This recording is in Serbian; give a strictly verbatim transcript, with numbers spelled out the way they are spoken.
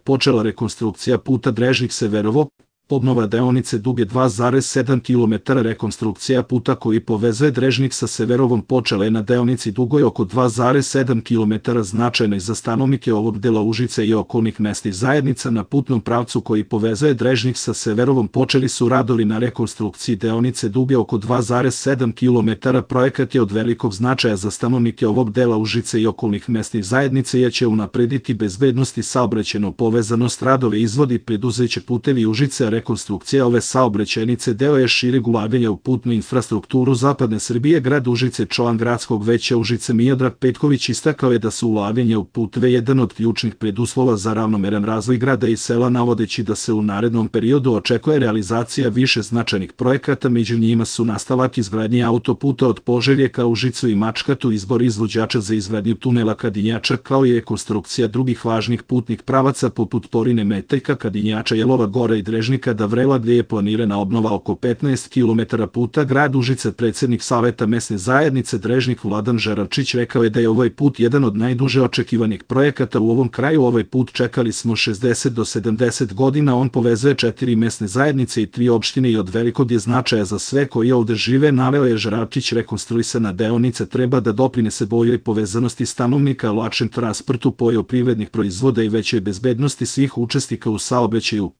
počela rekonstrukcija puta Drežnik-Severovo, obnova deonice duge dva zarez sedam kilometara. Rekonstrukcija puta koji povezuje Drežnik sa Severovom počela je na deonici dugoj oko dva zarez sedam kilometara, značajno za stanovnike ovog dela Užice i okolnih mesnih zajednica. Na putnom pravcu koji povezuje Drežnik sa Severovom počeli su radovi na rekonstrukciji deonice duge oko dva zarez sedam kilometara. Projekat je od velikog značaja za stanovnike ovog dela Užice i okolnih mesnih zajednica jer će unaprediti bezbednost i saobraćajnu povezanost. Radove izvodi preduzeće Putevi Užice. Rekonstrukcija ove saobraćajnice deo je šireg ulaganja u putnu infrastrukturu zapadne Srbije. Grad Užice, član gradskog veća Užice Miodrag Petković istakao je da su ulaganja u puteve jedan od ključnih preduslova za ravnomeran razvoj grada i sela, navodeći da se u narednom periodu očekuje realizacija više značajnih projekata, među njima su nastavak izgradnje autoputa od Požege ka Užicu i Mačkatu, izbor izvođača za izgradnju tunela Kadinjača, kao i rekonstrukcija drugih važnih putnih pravaca poput Porine Meteljka, Kadinjača, Jelova Gora i Drežnika da Vrela, gdje je planirana obnova oko petnaest kilometara puta. Grad Užice, predsjednik Saveta mesne zajednice Drežnik Vladan Žeravčić rekao je da je ovaj put jedan od najduže očekivanih projekata u ovom kraju. Ovaj put čekali smo šezdeset do sedamdeset godina, on povezuje četiri mesne zajednice i tri opštine i od velikog je značaja za sve koji ovde žive, naveo je Žeravčić. Rekonstruisana deonica treba da doprinese boljoj povezanosti stanovnika, lakšem transportu poljoprivrednih proizvoda i većoj bezbednosti svih učesnika u saobraćaju.